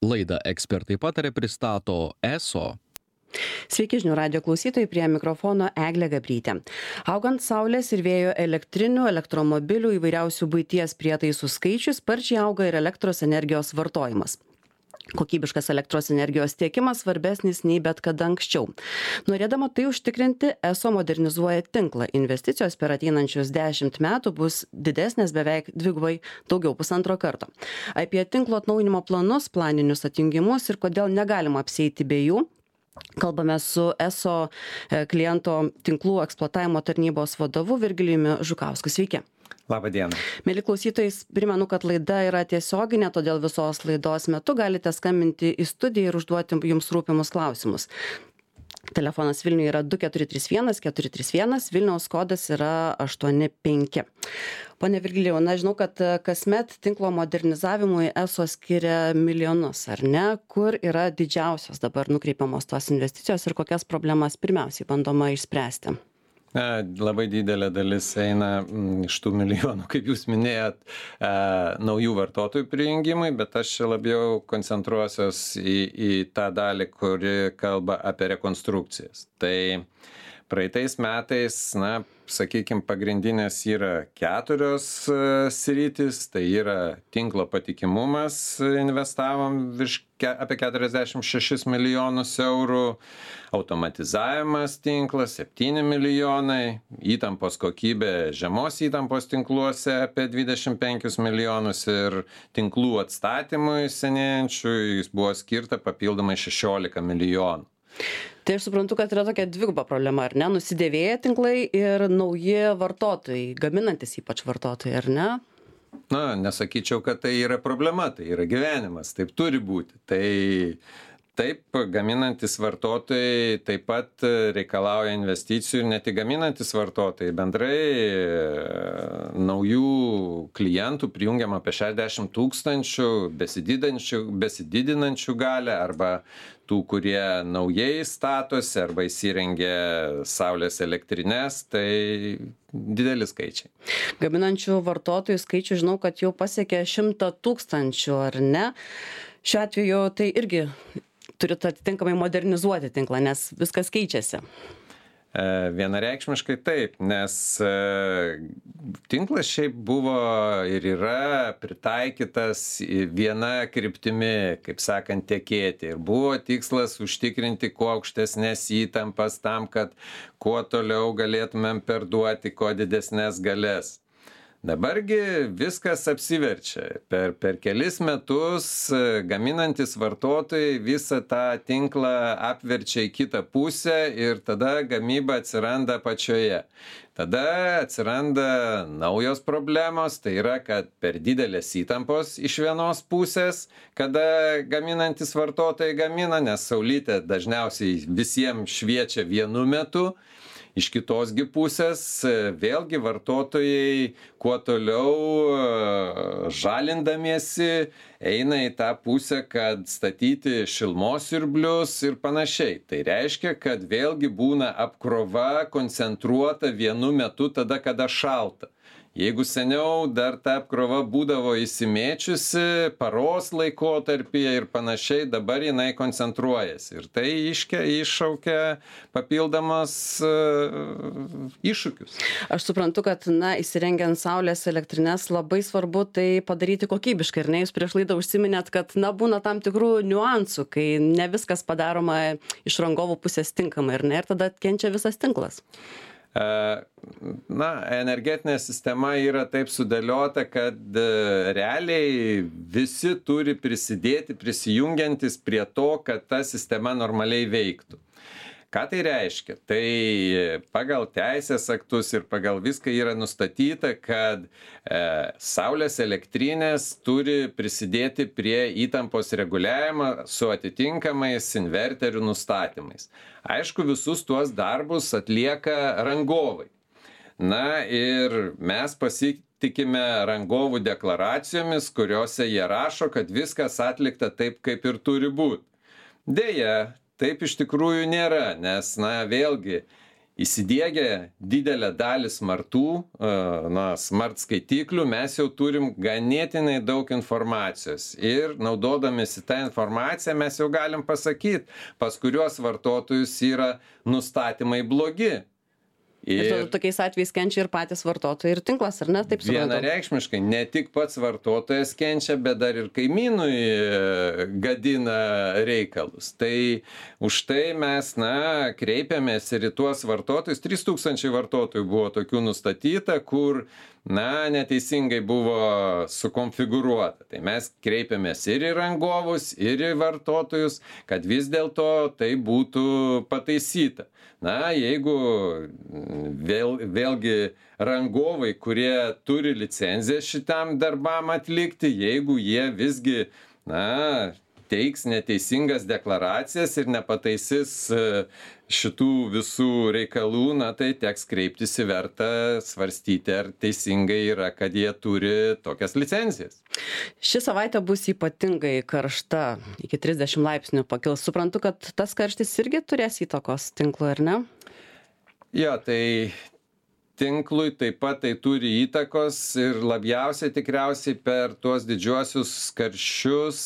Laidą Ekspertai patarė pristato ESO. Sveiki žinių radijo klausytojai, prie mikrofono Eglė Gabrytė. Augant saulės ir vėjo elektrinių, elektromobilių, įvairiausių buities prietaisų skaičius, sparčiai auga ir elektros energijos vartojimas. Kokybiškas elektros energijos tiekimas svarbesnis nei bet kada anksčiau. Norėdama tai užtikrinti, ESO modernizuoja tinklą. Investicijos per ateinančius 10 metų bus didesnės beveik dvigubai daugiau, 1,5 karto. Apie tinklo atnaujinimo planus, planinius atjungimus ir kodėl negalima apsieiti be jų kalbame su ESO kliento tinklų eksploatavimo tarnybos vadovu Virgilijumi Žukausku. Sveiki. Labą dieną. Mieli klausytojai, primenu, kad laida yra tiesioginė, todėl visos laidos metu galite skambinti į studiją ir užduoti jums rūpimus klausimus. Telefonas Vilniuje yra 2431 431, Vilniaus kodas yra 85. Pone Virgilijau, žinau, kad kasmet tinklo modernizavimui ESO skiria milijonus, ar ne? Kur yra didžiausios dabar nukreipiamos tos investicijos ir kokias problemas pirmiausiai bandoma išspręsti? Labai didelė dalis eina iš tų milijonų, kaip jūs minėjot, naujų vartotojų prijungimui, bet aš labiau koncentruosiuos į tą dalį, kuri kalba apie rekonstrukcijas. Tai praeitais metais, sakykime, pagrindinės yra 4 sritys, tai yra tinklo patikimumas, investavom apie 46 milijonus eurų, automatizavimas tinklas 7 milijonai, įtampos kokybė žemos įtampos tinkluose apie 25 milijonus ir tinklų atstatymui senėjančių jis buvo skirta papildomai 16 milijonų. Tai aš suprantu, kad yra tokia dviguba problema, ar ne? Nusidėvėję tinklai ir nauji vartotojai, gaminantis ypač vartotojai, ar ne? Nesakyčiau, kad tai yra problema, tai yra gyvenimas, taip turi būti. Taip, gaminantis vartotojai taip pat reikalauja investicijų ir ne tik gaminantis vartotojai, bendrai naujų klientų prijungiama apie 60 000, besididinančių galę arba tų, kurie naujai statosi arba įsirengia saulės elektrines, tai dideli skaičiai. Gaminančių vartotojų skaičių žinau, kad jau pasiekė 100 000, ar ne? Šiuo atveju tai irgi turite atitinkamai modernizuoti tinklą, nes viskas keičiasi. Vienareikšmiškai taip, nes tinklas šiaip buvo ir yra pritaikytas viena kryptimi, kaip sakant, tekėti. Ir buvo tikslas užtikrinti kuo aukštesnės įtampas tam, kad kuo toliau galėtumėm perduoti kuo didesnės galės. Dabargi viskas apsiverčia. Per kelis metus gaminantis vartotojai visą tą tinklą apverčia į kitą pusę ir tada gamyba atsiranda pačioje. Tada atsiranda naujos problemos, tai yra, kad per didelės įtampos iš vienos pusės, kada gaminantis vartotojai gamina, nes saulytė dažniausiai visiems šviečia vienu metu. Iš kitosgi pusės vėlgi vartotojai kuo toliau žalindamiesi eina į tą pusę, kad statyti šilumos siurblius ir panašiai. Tai reiškia, kad vėlgi būna apkrova koncentruota vienu metu tada, kada šalta. Jeigu seniau dar ta apkrova būdavo įsimėčiusi paros laikotarpyje ir panašiai, dabar jinai koncentruojasi. Ir tai iššaukia papildomas iššūkius. Aš suprantu, kad įsirengiant saulės elektrines labai svarbu tai padaryti kokybiškai. Ir jūs prieš laidą užsiminėt, kad būna tam tikrų niuansų, kai ne viskas padaroma iš rangovų pusės tinkamai, ir tada kenčia visas tinklas. Energetinė sistema yra taip sudėliota, kad realiai visi turi prisijungiantis prie to, kad ta sistema normaliai veiktų. Ką tai reiškia? Tai pagal teisės aktus ir pagal viską yra nustatyta, kad saulės elektrinės turi prisidėti prie įtampos reguliavimo su atitinkamais inverterių nustatymais. Aišku, visus tuos darbus atlieka rangovai. Ir mes pasitikime rangovų deklaracijomis, kuriuose jie rašo, kad viskas atlikta taip, kaip ir turi būti. Deja, taip iš tikrųjų nėra, nes, vėlgi, įsidiegę didelę dalį smart skaitiklių, mes jau turim ganėtinai daug informacijos ir naudodamėsi tą informaciją mes jau galim pasakyti, pas kuriuos vartotojus yra nustatymai blogi. Ir tada tokiais atvejais kenčia ir patys vartotojai ir tinklas, ar ne? Taip suprantu. Vienareikšmiškai, ne tik pats vartotojas kenčia, bet dar ir kaimynui gadina reikalus. Tai už tai mes, kreipiamės ir į tuos vartotojus. 3000 vartotojų buvo tokių nustatyta, kur, neteisingai buvo sukonfigūruota. Tai mes kreipiamės ir į rangovus, ir į vartotojus, kad vis dėlto tai būtų pataisyta. Jeigu vėlgi rangovai, kurie turi licenciją šitam darbam atlikti, jeigu jie visgi, teiks neteisingas deklaracijas ir nepataisys šitų visų reikalų, tai teks kreiptis į vertą, svarstyti, ar teisingai yra, kad jie turi tokias licencijas. Ši savaitė bus ypatingai karšta, iki 30 laipsnių pakils. Suprantu, kad tas karštis irgi turės įtakos tinklui, ar ne? Jo, tai tinklui taip pat tai turi įtakos ir labiausiai tikriausiai per tuos didžiuosius karščius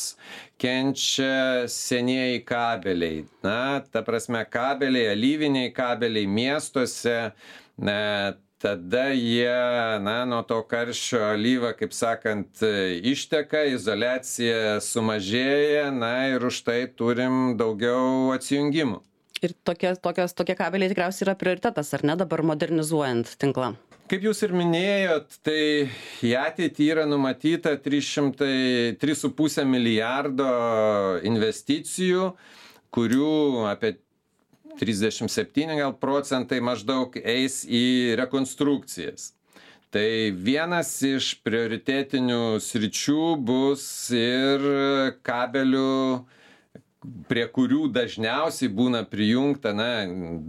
kenčia senieji kabeliai. Ta prasme, kabeliai, alyviniai kabeliai miestuose, tada jie, nuo to karščio alyva, kaip sakant, išteka, izoliacija sumažėja, ir už tai turim daugiau atsijungimų. Ir tokie kabeliai tikriausiai yra prioritetas, ar ne, dabar modernizuojant tinklą? Kaip jūs ir minėjot, tai į ateitį yra numatyta 3,5 milijardo investicijų, kurių apie 37 procentai maždaug eis į rekonstrukcijas. Tai vienas iš prioritetinių sričių bus ir kabelių, prie kurių dažniausiai būna prijungta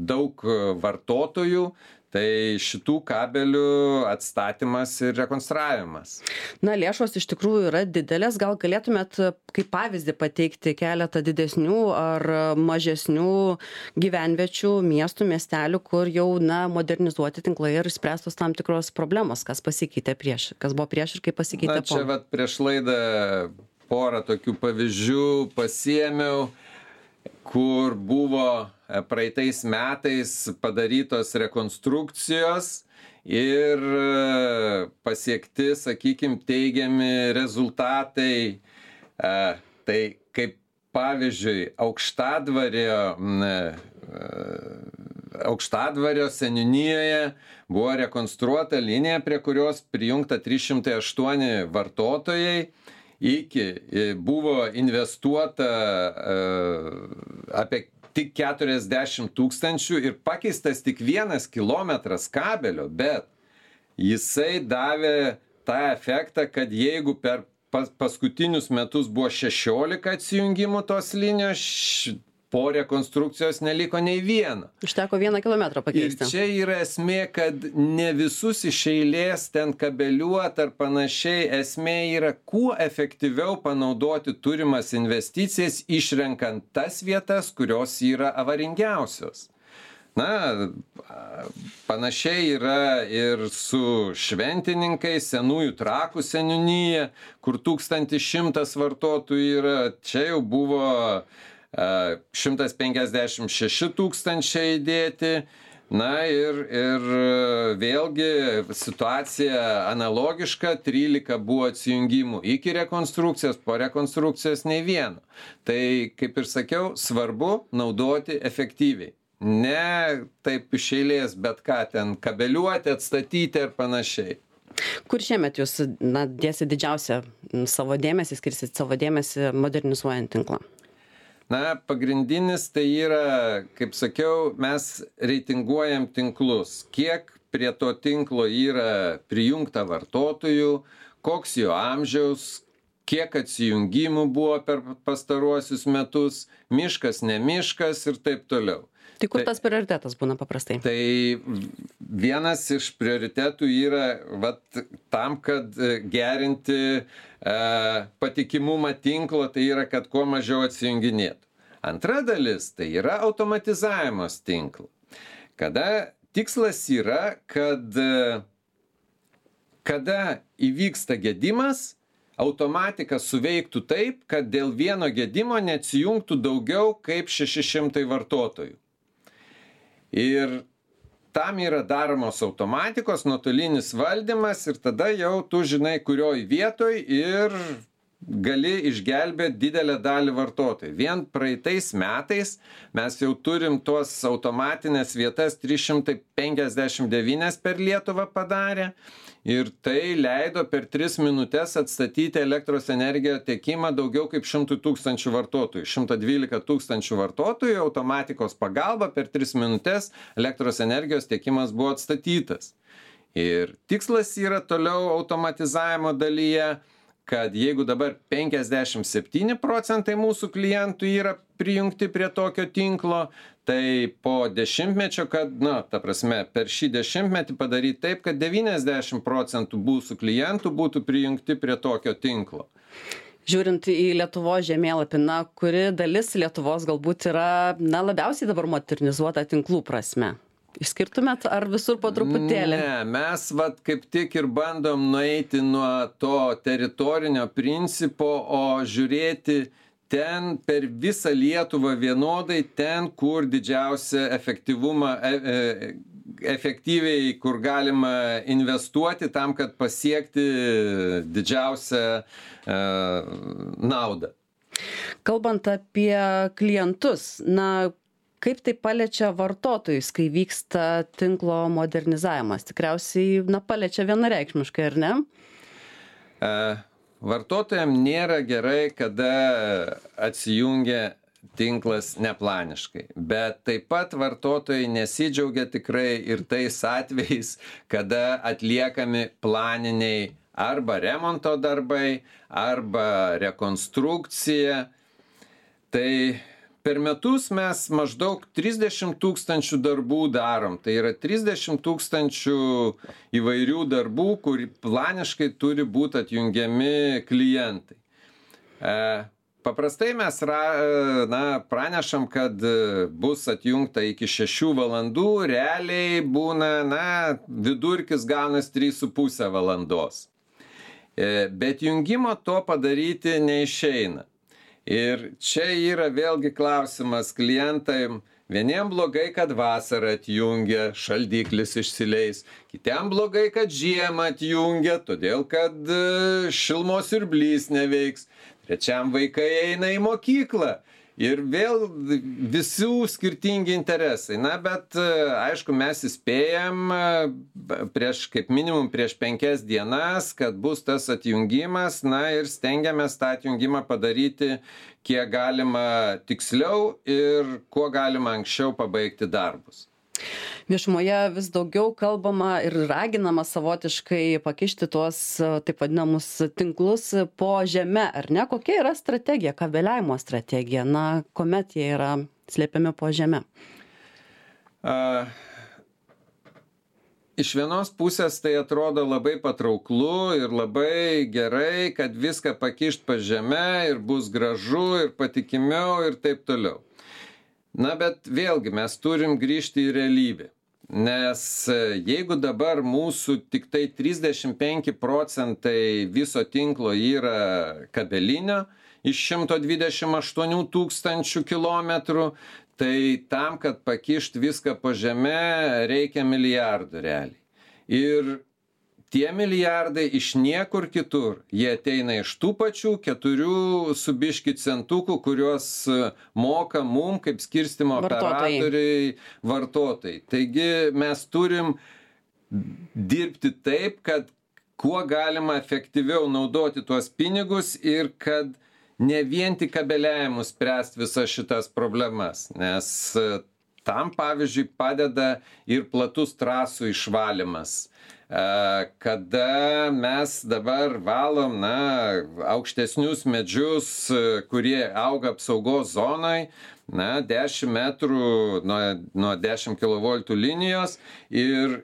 daug vartotojų, tai šitų kabelių atstatymas ir rekonstravimas. Lėšos iš tikrųjų yra didelės, gal galėtumėt kaip pavyzdį pateikti keletą didesnių ar mažesnių gyvenviečių, miestų, miestelių, kur jau modernizuoti tinklai ir spręstos tam tikros problemos, kas pasikeitė prieš, kas buvo prieš ir kaip pasikeitė po. Čia prieš laidą porą tokių pavyzdžių pasiėmiau, kur buvo praeitais metais padarytos rekonstrukcijos ir pasiekti, sakykime, teigiami rezultatai. Tai kaip pavyzdžiui, Aukštadvario seniūnijoje buvo rekonstruota linija, prie kurios prijungta 308 vartotojai. Buvo investuota apie tik 40 000 ir pakeistas tik 1 kilometras kabelio, bet jisai davė tą efektą, kad jeigu per paskutinius metus buvo 16 atsijungimų tos linijos, po rekonstrukcijos neliko nei vieno. Užteko 1 kilometrą pakeisti. Ir čia yra esmė, kad ne visus iš eilės ten kabeliuoti ar panašiai. Esmė yra, kuo efektyviau panaudoti turimas investicijas, išrenkant tas vietas, kurios yra avaringiausios. Panašiai yra ir su Šventininkais, Senųjų Trakų seniūnija, kur 1100 vartotojų yra. Čia jau buvo 156 000 įdėti. Ir vėlgi situacija analogiška, 13 buvo atsijungimų iki rekonstrukcijos, po rekonstrukcijos nei vieno. Tai, kaip ir sakiau, svarbu naudoti efektyviai. Ne taip iš eilės, bet ką ten kabeliuoti, atstatyti ir panašiai. Kur šiemet jūs dėsit didžiausią savo dėmesį, skirsit savo dėmesį modernizuojant tinklą? Pagrindinis tai yra, kaip sakiau, mes reitinguojam tinklus. Kiek prie to tinklo yra prijungta vartotojų, koks jo amžiaus, kiek atsijungimų buvo per pastaruosius metus, miškas, ne miškas ir taip toliau. Tai kur tas prioritetas būna paprastai? Tai vienas iš prioritetų yra tam, kad gerinti patikimumą tinklo, tai yra, kad kuo mažiau atsijunginėtų. Antra dalis tai yra automatizavimas tinklo. Kada tikslas yra, kad kada įvyksta gedimas, automatika suveiktų taip, kad dėl vieno gedimo neatsijungtų daugiau kaip 600 vartotojų. Ir tam yra daromos automatikos, nuotolinis valdymas ir tada jau tu žinai, kurioj vietoj ir gali išgelbėti didelę dalį vartotojų. Vien praeitais metais mes jau turim tuos automatinės vietas 359 per Lietuvą padarę ir tai leido per 3 minutes atstatyti elektros energijos tiekimą daugiau kaip 100 000 vartotojų. 112 000 vartotojų automatikos pagalba per 3 minutes elektros energijos tiekimas buvo atstatytas. Ir tikslas yra toliau automatizavimo dalyje, kad jeigu dabar 57% mūsų klientų yra prijungti prie tokio tinklo, tai po dešimtmečio, kad, ta prasme, per šį dešimtmetį padaryti taip, kad 90% mūsų klientų būtų prijungti prie tokio tinklo. Žiūrint į Lietuvos žemėlapį, kuri dalis Lietuvos galbūt yra labiausiai dabar modernizuota tinklų prasme? Išskirtumėt ar visur po truputėlį? Ne, mes kaip tik ir bandom nueiti nuo to teritorinio principo, o žiūrėti ten per visą Lietuvą vienodai, ten, kur didžiausia efektyvumą, efektyviai, kur galima investuoti tam, kad pasiekti didžiausią naudą. Kalbant apie klientus, kaip tai paliečia vartotojus, kai vyksta tinklo modernizavimas? Tikriausiai, paliečia vienareikšmiškai, ar ne? Vartotojams nėra gerai, kada atsijungia tinklas neplaniškai. Bet taip pat vartotojai nesidžiaugia tikrai ir tais atvejais, kada atliekami planiniai arba remonto darbai, arba rekonstrukcija. Tai per metus mes maždaug 30 000 darbų darom. Tai yra 30 000 įvairių darbų, kur planiškai turi būti atjungiami klientai. Paprastai mes pranešam, kad bus atjungta iki 6 valandų, realiai būna, vidurkis gaunas 3,5 valandos. Bet jungimo to padaryti neišeina. Ir čia yra vėlgi klausimas klientam. Vieniem blogai, kad vasarą atjungia, šaldiklis išsileis. Kitiem blogai, kad žiemą atjungia, todėl kad šilumos siurblys neveiks. Trečiam vaikai eina į mokyklą. Ir vėl visų skirtingi interesai. Bet aišku, mes įspėjam kaip minimum prieš 5 dienas, kad bus tas atjungimas, ir stengiamės tą atjungimą padaryti kiek galima tiksliau ir kuo galima anksčiau pabaigti darbus. Viešumoje vis daugiau kalbama ir raginama savotiškai pakišti tuos taip vadinamus tinklus po žeme, ar ne? Kokia yra strategija, kabeliavimo strategija, kuomet jie yra slėpiami po žeme? Iš vienos pusės tai atrodo labai patrauklu ir labai gerai, kad viską pakišt po žeme ir bus gražu ir patikimiau ir taip toliau. Bet vėlgi mes turim grįžti į realybę. Nes jeigu dabar mūsų tik tai 35% viso tinklo yra kabelinio iš 128 000 kilometrų, tai tam, kad pakišt viską po žeme, reikia milijardų realiai. Ir tie milijardai iš niekur kitur, jie ateina iš tų pačių 4 su biški centukų, kuriuos moka mum kaip skirstymo operatoriai, vartotojai. Taigi mes turim dirbti taip, kad kuo galima efektyviau naudoti tuos pinigus ir kad ne vien tik kabeliavimu spręsti visas šitas problemas. Nes tam, pavyzdžiui, padeda ir platus trasų išvalymas. Kada mes dabar valom aukštesnius medžius, kurie auga apsaugos zonai, 10 metrų nuo 10 kV linijos ir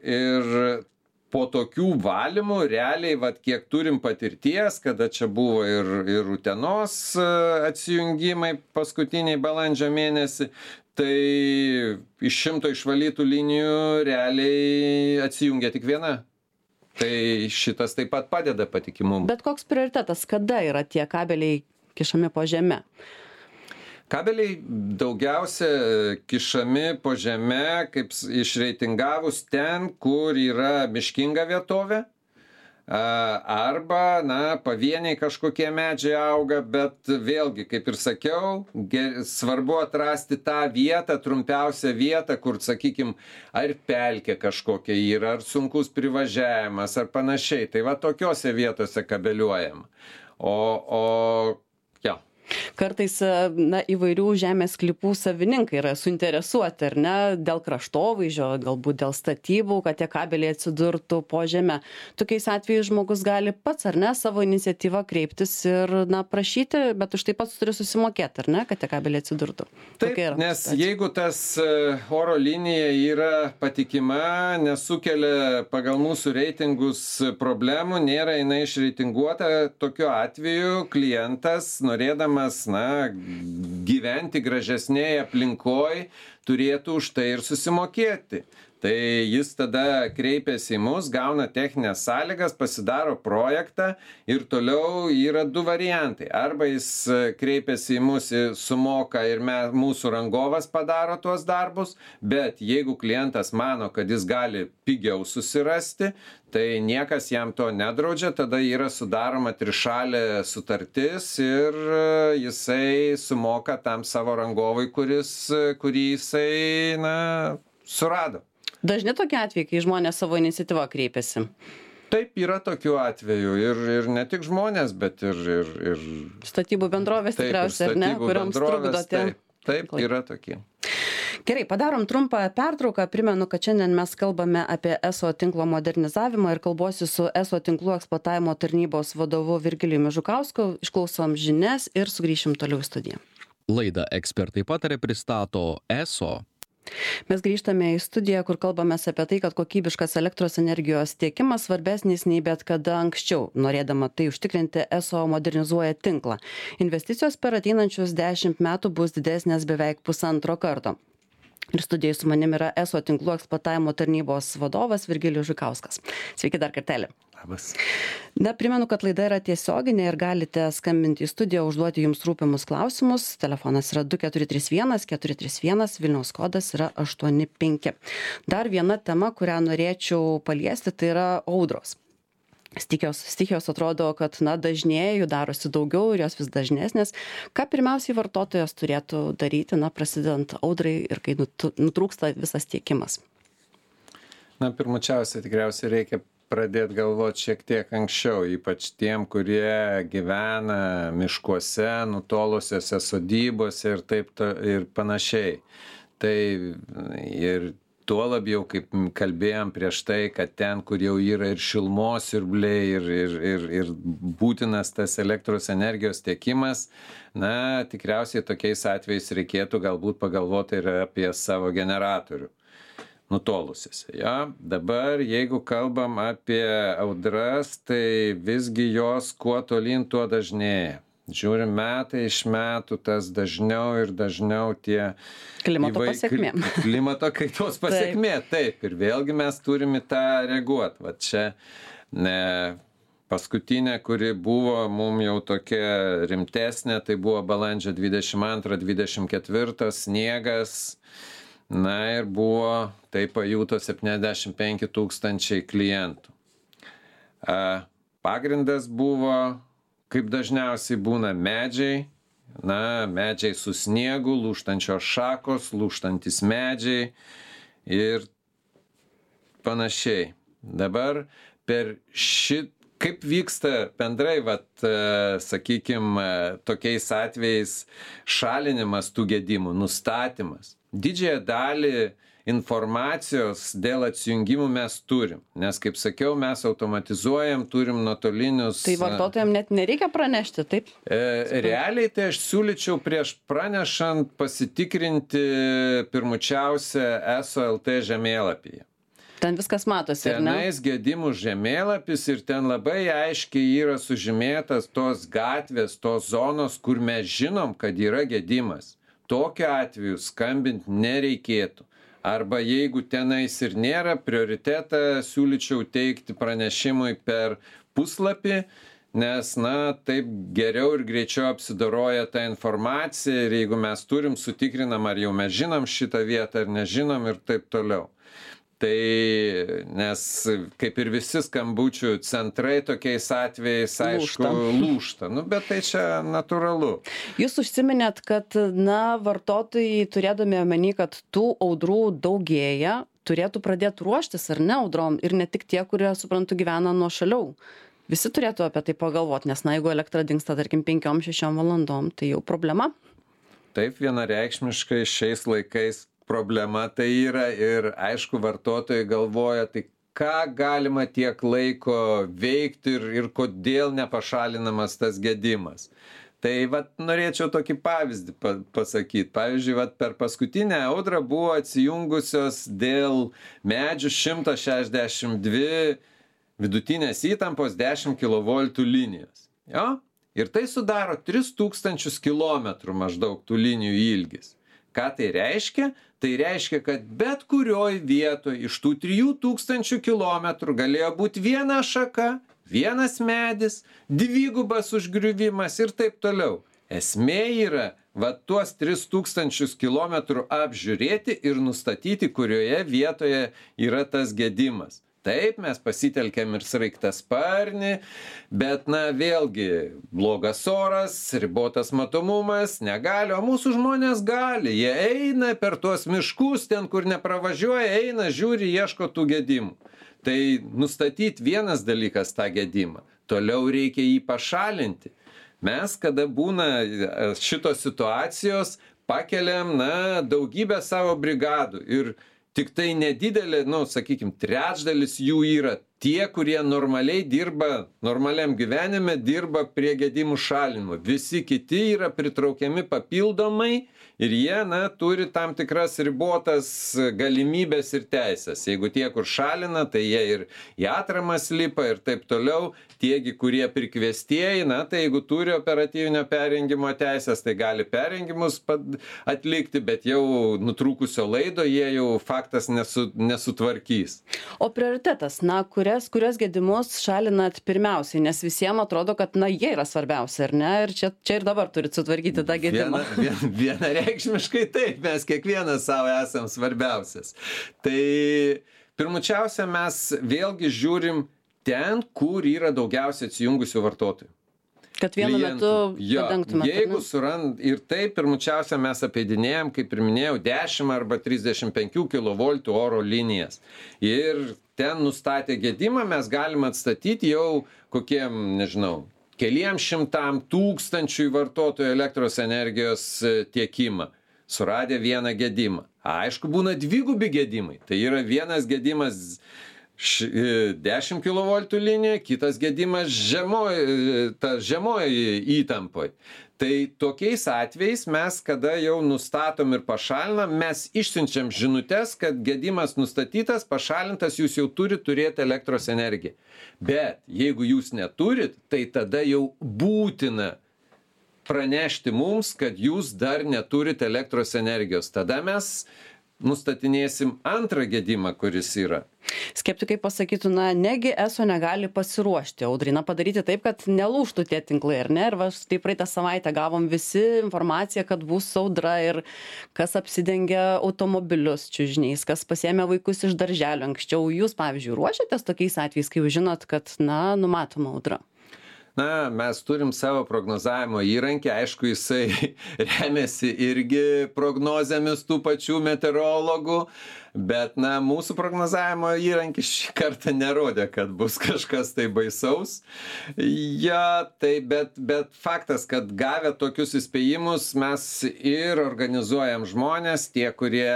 po tokių valymų realiai, vat, kiek turim patirties, kada čia buvo ir Utenos atsijungimai paskutiniai balandžio mėnesį, tai iš 100 išvalytų linijų realiai atsijungia tik viena. Tai šitas taip pat padeda patikimumui. Bet koks prioritetas, kada yra tie kabeliai kišami po žeme? Kabeliai daugiausia kišami po žeme, kaip išreitingavus ten, kur yra miškinga vietovė, arba, pavieniai kažkokie medžiai auga, bet vėlgi, kaip ir sakiau, svarbu atrasti tą vietą, trumpiausią vietą, kur, sakykime, ar pelkė kažkokia yra, ar sunkus privažiavimas, ar panašiai. Tai va tokiose vietose kabeliuojam. Kartais įvairių žemės sklypų savininkai yra suinteresuoti, ar ne, dėl kraštovaizdžio, galbūt dėl statybų, kad tie kabeliai atsidurtų po žeme. Tokiais atvejais žmogus gali pats, ar ne, savo iniciatyvą kreiptis ir prašyti, bet už tai pats turi susimokėti, ar ne, kad tie kabeliai atsidurtų. Taip, nes jeigu tas oro linija yra patikima, nesukelia pagal mūsų reitingus problemų, nėra jinai išreitinguota, tokiu atveju klientas, norėdamas gyventi gražesnėje aplinkoj, turėtų už tai ir susimokėti. Tai jis tada kreipiasi į mus, gauna techninės sąlygas, pasidaro projektą ir toliau yra 2 variantai. Arba jis kreipiasi į mus, sumoka ir mūsų rangovas padaro tuos darbus, bet jeigu klientas mano, kad jis gali pigiau susirasti, tai niekas jam to nedraudžia, tada yra sudaroma trišalė sutartis ir jisai sumoka tam savo rangovui, kurį jisai surado. Dažni tokie atvejai, kai žmonės savo iniciatyvą kreipiasi? Taip, yra tokių atvejų ir ne tik žmonės, bet ir statybų bendrovės tikriausiai, ar ne, kuriams trukdote. Taip, yra tokie. Gerai, padarom trumpą pertrauką. Primenu, kad šiandien mes kalbame apie ESO tinklo modernizavimą ir kalbuosi su ESO tinklų eksploatavimo tarnybos vadovu Virgilijumi Žukausku. Išklausom žinias ir sugrįšim toliau į studiją. Laidą Ekspertai pataria pristato ESO. Mes grįžtame į studiją, kur kalbamės apie tai, kad kokybiškas elektros energijos tiekimas svarbesnis nei bet kada anksčiau. Norėdama tai užtikrinti, ESO modernizuoja tinklą. Investicijos per ateinančius 10 metų bus didesnės beveik 1,5 karto. Ir studijoje su manim yra ESO tinklų eksploatavimo tarnybos vadovas Virgilijus Žukauskas. Sveiki dar kartelį. Labas. Primenu, kad laida yra tiesioginė ir galite skambinti į studiją, užduoti jums rūpimus klausimus. Telefonas yra 2431 431, Vilniaus kodas yra 85. Dar viena tema, kurią norėčiau paliesti, tai yra audros. Stichijos atrodo, kad dažnėja, jų darosi daugiau ir jos vis dažnesnės. Ką pirmiausiai vartotojas turėtų daryti, prasidedant audrai ir kai nutrūksta visas tiekimas? Pirmučiausia, tikriausiai reikia pradėti galvoti šiek tiek anksčiau, ypač tiem, kurie gyvena miškuose, nutolusiuose sodybose ir panašiai. Tai ir tuo labiau, kaip kalbėjom prieš tai, kad ten, kur jau yra ir šilumos siurbliai, ir būtinas tas elektros energijos tiekimas, tikriausiai tokiais atvejais reikėtų galbūt pagalvoti ir apie savo generatorių nutolusiuose. Dabar, jeigu kalbam apie audras, tai visgi jos kuo tolyn, tuo dažnėja. Žiūrim metai iš metų, tas dažniau ir dažniau tie klimato pasekmė. Klimato kaitos pasekmė, taip. Ir vėlgi mes turime tą reaguoti. Va čia paskutinė, kuri buvo mums jau tokia rimtesnė, tai buvo balandžio 22-24 sniegas. Ir buvo, tai pajuto 75 000 klientų. Pagrindas buvo, kaip dažniausiai būna medžiai, medžiai su sniegu, lūžtančios šakos, lūžtantis medžiai ir panašiai. Dabar kaip vyksta bendrai, sakykime, tokiais atvejais šalinimas tų gedimų, nustatymas. Didžiąją dalį informacijos dėl atsijungimų mes turim, nes, kaip sakiau, mes automatizuojam, turim nuotolinius. Tai vartotojams net nereikia pranešti, taip? Realiai tai aš siūlyčiau prieš pranešant pasitikrinti pirmučiausia ESO LT žemėlapyje. Ten viskas matosi, ar ne? Tenais gedimų žemėlapis ir ten labai aiškiai yra sužymėtas tos gatvės, tos zonos, kur mes žinom, kad yra gedimas. Tokiu atveju skambinti nereikėtų. Arba jeigu tenais ir nėra, prioritetą siūlyčiau teikti pranešimui per puslapį, nes, taip geriau ir greičiau apsidoroja ta informacija ir jeigu mes turim, sutikrinam, ar jau mes žinom šitą vietą ar nežinom ir taip toliau. Tai, nes kaip ir visi skambučių centrai tokiais atvejais, aišku, lūžta. Bet tai čia natūralu. Jūs užsiminėt, kad, vartotojai turėdami omeny, kad tų audrų daugėja, turėtų pradėti ruoštis ar ne audrom ir ne tik tie, kurie, suprantu, gyvena nuošaliau. Visi turėtų apie tai pagalvoti, nes jeigu elektra dingsta, tarkim, 5-6 valandom, tai jau problema. Taip, vienareikšmiškai šiais laikais problema tai yra ir aišku vartotojai galvoja, tai ką galima tiek laiko veikti ir kodėl nepašalinamas tas gedimas. Tai norėčiau tokį pavyzdį pasakyti. Pavyzdžiui, per paskutinę audrą buvo atsijungusios dėl medžių 162 vidutinės įtampos 10 kV linijos. Jo? Ir tai sudaro 3000 km maždaug tų linijų ilgis. Ką tai reiškia? Tai reiškia, kad bet kurioj vietoje iš tų 3000 km galėjo būti viena šaka, vienas medis, dvigubas užgriuvimas ir taip toliau. Esmė yra tuos 3000 km apžiūrėti ir nustatyti, kurioje vietoje yra tas gedimas. Taip, mes pasitelkėm ir sraigtasparnį, bet vėlgi blogas oras, ribotas matomumas, negali, o mūsų žmonės gali. Jie eina per tuos miškus, ten kur nepravažiuoja, eina, žiūri, ieško tų gedimų. Tai nustatyti vienas dalykas tą gedimą, toliau reikia jį pašalinti. Mes, kada būna šitos situacijos, pakeliam daugybę savo brigadų ir tik tai nedidelė, sakykim, trečdalis jų yra tie, kurie normaliai dirba, normaliam gyvenime dirba prie gedimų šalinimo. Visi kiti yra pritraukiami papildomai ir jie, turi tam tikras ribotas galimybės ir teisės. Jeigu tie, kur šalina, tai jie ir į atramas lipa ir taip toliau. Tiegi, kurie prikviestieji, tai jeigu turi operatyvinio perjungimo teisės, tai gali perjungimus atlikti, bet jau nutrūkusio laido jie jau faktas nesutvarkys. O prioritetas, kurias gedimus šalinat pirmiausiai, nes visiems atrodo, kad jie yra svarbiausia, ar ne? Ir čia ir dabar turit sutvarkyti tą gedimą. Vienareikšmiškai taip, mes kiekvienas savo esam svarbiausias. Tai pirmučiausia, mes vėlgi žiūrim ten, kur yra daugiausiai atsijungusių vartotojų. Kad vienu metu padengtumėte. Jeigu surand, ir taip pirmučiausia mes apeidinėjom, kaip ir minėjau, 10 arba 35 kV oro linijas. Ir ten nustatę gedimą mes galim atstatyti jau kokiem, keliem 100 000 vartotojų elektros energijos tiekimą, suradę vieną gedimą. Aišku, būna dvigubi gedimai. Tai yra vienas gedimas 10 kV linija, kitas gedimas žemoj įtampoj. Tai tokiais atvejais mes, kada jau nustatom ir pašalinam, mes išsiunčiam žinutes, kad gedimas nustatytas, pašalintas, jūs jau turit turėti elektros energiją. Bet jeigu jūs neturit, tai tada jau būtina pranešti mums, kad jūs dar neturit elektros energijos. Tada mes nustatinėsim antrą gedimą, kuris yra. Skeptikai pasakytų, negi ESO negali pasiruošti audrai, padaryti taip, kad nelūžtų tie tinklai, ar ne? Ir tai praeitą savaitę gavom visi informaciją, kad bus audra ir kas apsidengia automobilius čiužiniais, kas pasiėmė vaikus iš darželio anksčiau. Jūs, pavyzdžiui, ruošiatės tokiais atvejais, kai jūs žinot, kad, numatoma audra? Mes turim savo prognozavimo įrankį, aišku, jisai remiasi irgi prognozėmis tų pačių meteorologų, bet mūsų prognozavimo įrankis šį kartą nerodė, kad bus kažkas tai baisaus. Bet faktas, kad gavę tokius įspėjimus mes ir organizuojam žmonės, tie, kurie,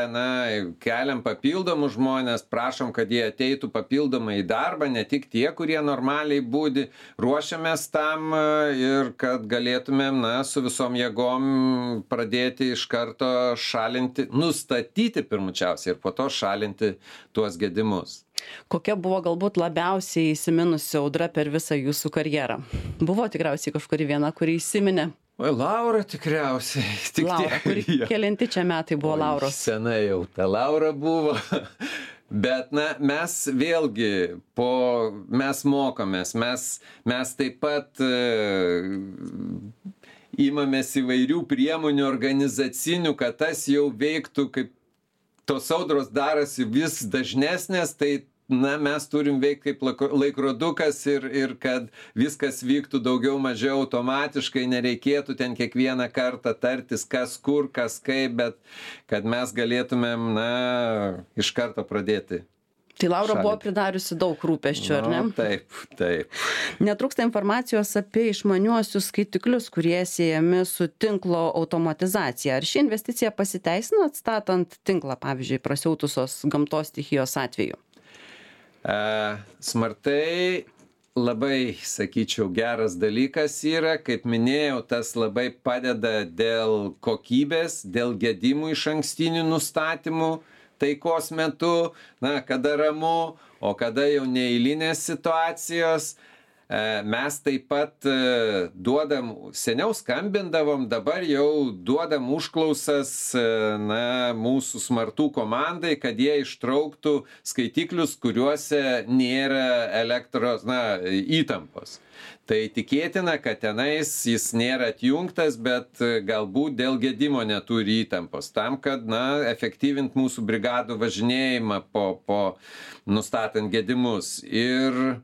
keliam papildomus žmonės, prašom, kad jie ateitų papildomai į darbą, ne tik tie, kurie normaliai būdi, ruošiamės tam ir kad galėtumėm, su visom jėgom pradėti iš karto šalinti, nustatyti pirmučiausiai ir po to šalinti tuos gedimus. Kokia buvo galbūt labiausiai įsiminusi audra per visą jūsų karjerą? Buvo tikriausiai kažkuri viena, kuri įsiminė. Oi, Laura tikriausiai. Laura, kuri kelinti čia metai buvo Lauros? Senai jau ta Laura buvo. Bet, mes vėlgi, mes mokomės, mes taip pat imamės įvairių priemonių organizacinių, kad tas jau veiktų, kaip tos audros darosi vis dažnesnės, tai mes turim veikti kaip laikrodukas ir kad viskas vyktų daugiau mažiau automatiškai, nereikėtų ten kiekvieną kartą tartis, kas kur, kas kaip, bet kad mes galėtumėm, iš karto pradėti. Tai Laura buvo pridariusi daug rūpesčių, ar ne? Taip. Netrūksta informacijos apie išmaniuosius skaitiklius, kurie siejami su tinklo automatizacija. Ar ši investicija pasiteisino atstatant tinklą, pavyzdžiui, prasiautusios gamtos stichijos atveju? Smartai labai, sakyčiau, geras dalykas yra, kaip minėjau, tas labai padeda dėl kokybės, dėl gedimų išankstinių nustatymų taikos metu, kada ramu, o kada jau neeilinės situacijos. Mes taip pat duodam, seniau skambindavom, dabar jau duodam užklausas mūsų smartų komandai, kad jie ištrauktų skaitiklius, kuriuose nėra elektros įtampos. Tai tikėtina, kad tenais jis nėra atjungtas, bet galbūt dėl gedimo neturi įtampos. Tam, kad efektyvint mūsų brigadų važinėjimą po nustatant gedimus. Ir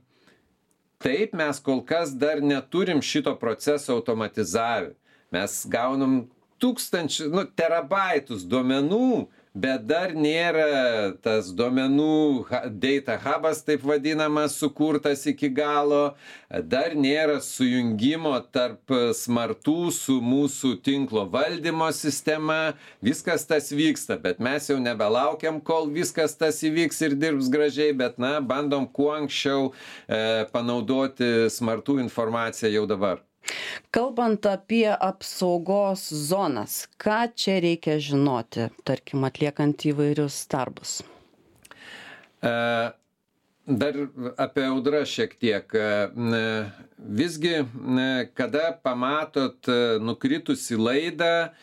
taip, mes kol kas dar neturim šito proceso automatizavę. Mes gaunam terabaitus duomenų, bet dar nėra tas duomenų data hubas, taip vadinamas, sukurtas iki galo, dar nėra sujungimo tarp smartų su mūsų tinklo valdymo sistema, viskas tas vyksta, bet mes jau nebelaukiam, kol viskas tas įvyks ir dirbs gražiai, bet bandom kuo anksčiau panaudoti smartų informaciją jau dabar. Kalbant apie apsaugos zonas, ką čia reikia žinoti, tarkim, atliekant įvairius darbus? Dar apie audrą šiek tiek. Visgi, kada pamatot nukritusi laidą,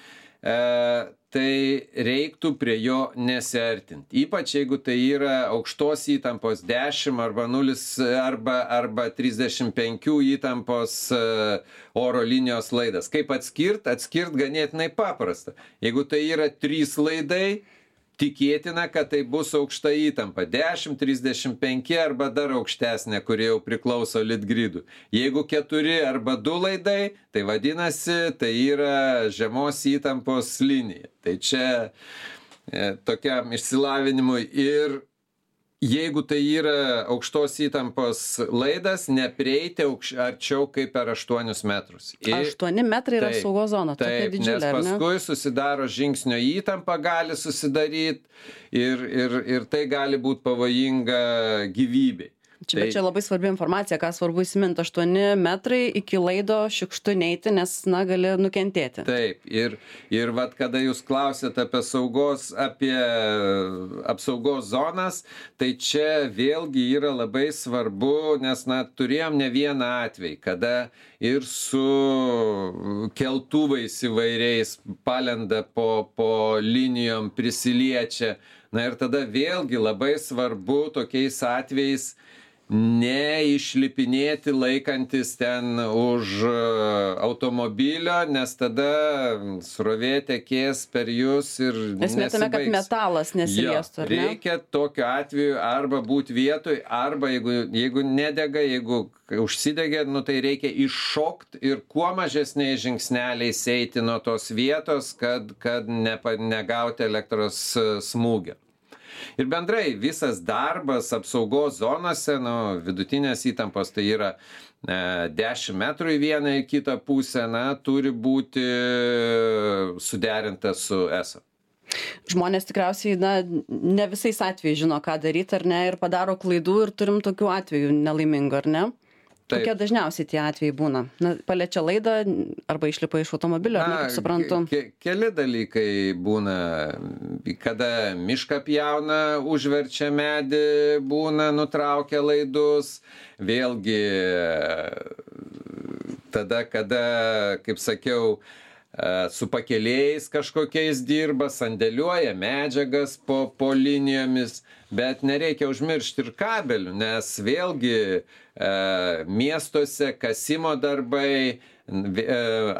tai reiktų prie jo nesiartinti. Ypač jeigu tai yra aukštos įtampos 10 arba 0 arba 35 įtampos oro linijos laidas. Kaip atskirt ganėtinai paprasta. Jeigu tai yra 3 laidai, tikėtina, kad tai bus aukšta įtampa 10, 35 arba dar aukštesnė, kurie jau priklauso litgridų. Jeigu 4 arba 2 laidai, tai vadinasi, tai yra žemos įtampos linija. Tai čia tokiam išsilavinimui. Ir jeigu tai yra aukštos įtampos laidas, neprieiti arčiau kaip per 8 metrus. 8 metrai yra saugos zona, tokia didžiulė, nes paskui susidaro žingsnio įtampa, gali susidaryti ir tai gali būti pavojinga gyvybei. Bet čia labai svarbi informacija, ką svarbu įsiminti, 8 metrai iki laido šiukštu neiti, nes, gali nukentėti. Taip, ir vat, kada jūs klausėt apie apsaugos zonas, tai čia vėlgi yra labai svarbu, nes, turėjom ne vieną atvejį, kada ir su keltuvais įvairiais palenda po linijom, prisiliečia. Ir tada vėlgi labai svarbu tokiais atvejais neišlipinėti laikantis ten už automobilio, nes tada srovė tekės per jūs ir nesibaigs. Esmė tame, kad metalas nesiliestų, ar ne? Reikia tokiu atveju arba būti vietoj, arba jeigu nedega, jeigu užsidegė, tai reikia iššokti ir kuo mažesniais žingsneliais eiti nuo tos vietos, kad negauti elektros smūgio. Ir bendrai visas darbas apsaugos zonose, vidutinės įtampos, tai yra 10 metrų į vieną į kitą pusę, turi būti suderinta su ESO. Žmonės tikriausiai, ne visais atvejais žino, ką daryti, ar ne, ir padaro klaidų ir turim tokių atvejų nelaimingų, ar ne? Kokie dažniausiai tie atvejai būna? Na, paliečia laidą arba išlipa iš automobilio, ar ne, kaip suprantu? Keli dalykai būna, kada mišką pjauna, užverčia medį, būna nutraukia laidus, vėlgi tada, kada, kaip sakiau, su pakelėjais kažkokiais dirba, sandėliuoja medžiagas po linijomis, bet nereikia užmiršti ir kabelių, nes vėlgi miestuose kasimo darbai,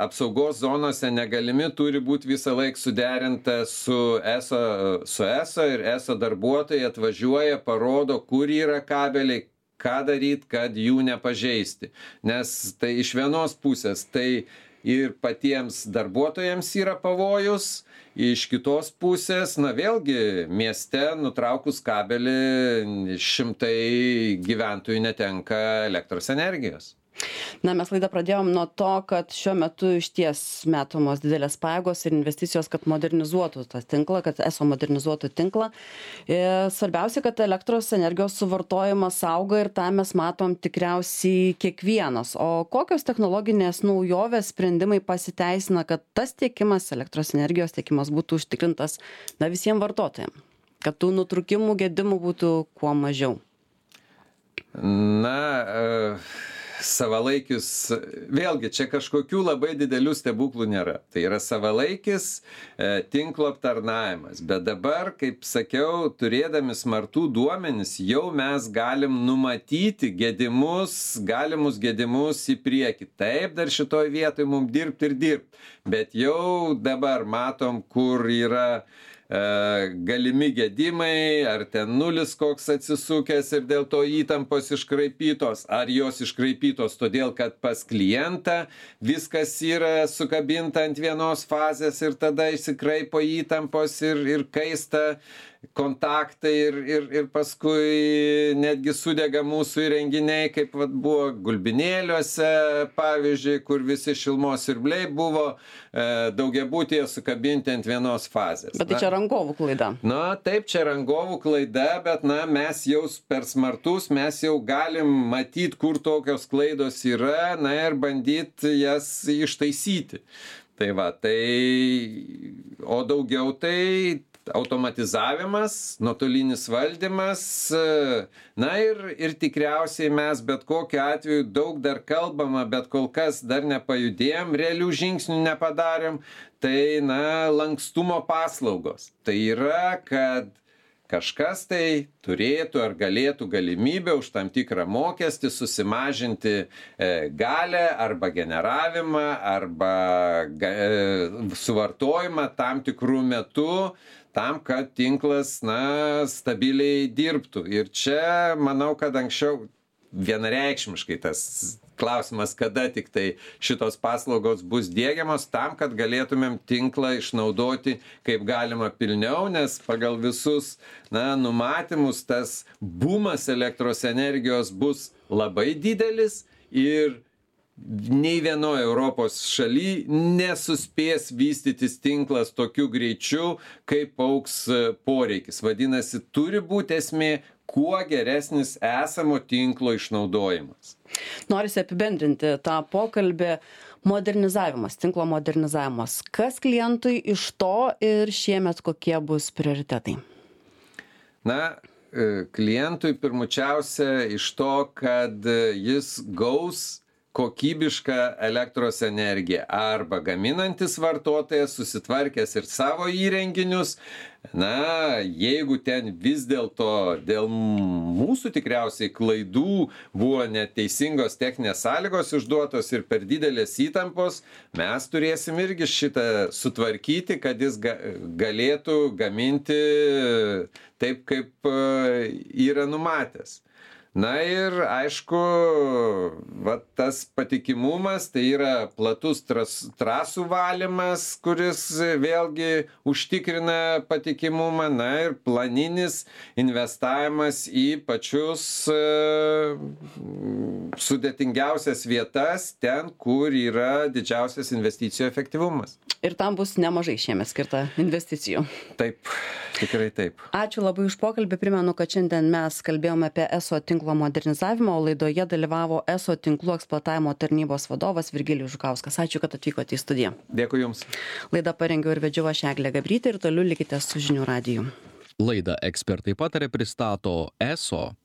apsaugos zonose negalimi turi būti visą laiką suderinta su ESO ir ESO darbuotojai atvažiuoja, parodo, kur yra kabeliai, ką daryti, kad jų nepažeisti. Nes tai iš vienos pusės tai ir patiems darbuotojams yra pavojus, iš kitos pusės, na vėlgi, mieste nutraukus kabelį šimtai gyventojų netenka elektros energijos. Na, mes laidą pradėjom nuo to, kad šiuo metu išties metomos didelės pajėgos ir investicijos, kad modernizuotų tą tinklą, kad ESO modernizuotų tinklą. Svarbiausia, kad elektros energijos suvartojimas auga ir tą mes matom tikriausiai kiekvienas. O kokios technologinės naujovės sprendimai pasiteisina, kad tas tiekimas, elektros energijos tiekimas būtų užtikrintas visiems vartotojams? Kad tų nutrūkimų, gedimų būtų kuo mažiau? Savalaikis, vėlgi, čia kažkokių labai didelių stebuklų nėra. Tai yra savalaikis tinklo aptarnavimas. Bet dabar, kaip sakiau, turėdami smartų duomenis, jau mes galim numatyti galimus gedimus į priekį. Taip, dar šitoj vietoj mums dirbti. Bet jau dabar matom, kur yra galimi gedimai, ar ten nulis koks atsisukęs ir dėl to įtampos iškraipytos, ar jos iškraipytos todėl, kad pas klientą viskas yra sukabinta ant vienos fazės ir tada išsikraipo įtampos ir kaista kontaktai ir paskui netgi sudega mūsų įrenginiai, kaip buvo Gulbinėliuose, pavyzdžiui, kur visi šilumos siurbliai buvo daugiabutyje sukabinti ant vienos fazės. Bet tai čia rangovų klaida. Taip, čia rangovų klaida, bet mes jau per smartus, mes jau galim matyti, kur tokios klaidos yra, ir bandyti jas ištaisyti. O daugiau tai automatizavimas, nuotolinis valdymas, ir tikriausiai mes bet kokiu atveju daug dar kalbama, bet kol kas dar nepajudėjom, realių žingsnių nepadarėm, tai lankstumo paslaugos. Tai yra, kad kažkas tai turėtų ar galėtų galimybę už tam tikrą mokestį susimažinti galę arba generavimą arba suvartojimą tam tikrų metų, tam, kad tinklas stabiliai dirbtų. Ir čia manau, kad anksčiau vienareikšmiškai tas klausimas, kada tik tai šitos paslaugos bus diegiamos, tam, kad galėtumėm tinklą išnaudoti kaip galima pilniau, nes pagal visus numatymus tas bumas elektros energijos bus labai didelis ir nei vienoje Europos šaly nesuspės vystytis tinklas tokiu greičiu, kaip augs poreikis. Vadinasi, turi būti esmė kuo geresnis esamo tinklo išnaudojimas. Norisi apibendrinti tą pokalbį. Modernizavimas, tinklo modernizavimas. Kas klientui iš to ir šiemet kokie bus prioritetai? Klientui pirmučiausia iš to, kad jis gaus kokybišką elektros energiją arba gaminantis vartotojas susitvarkęs ir savo įrenginius, jeigu ten vis dėlto dėl mūsų tikriausiai klaidų buvo neteisingos techninės sąlygos išduotos ir per didelės įtampos, mes turėsim irgi šitą sutvarkyti, kad jis galėtų gaminti taip, kaip yra numatęs. Ir aišku, tas patikimumas, tai yra platus trasų valymas, kuris vėlgi užtikrina patikimumą, ir planinis investavimas į pačius sudėtingiausias vietas, ten, kur yra didžiausias investicijų efektyvumas. Ir tam bus nemažai šiemet skirta investicijų. Taip, tikrai taip. Ačiū labai už pokalbį. Primenu, kad šiandien mes kalbėjome apie ESO tinklo modernizavimą, o laidoje dalyvavo ESO tinklų eksploatavimo tarnybos vadovas Virgilijus Žukauskas. Ačiū, kad atvykote į studiją. Dėkui Jums. Laidą parengiau ir vedžiau aš Eglė Gabrytė ir toliau likite su žinių radiju. Laidą Ekspertai pataria pristato ESO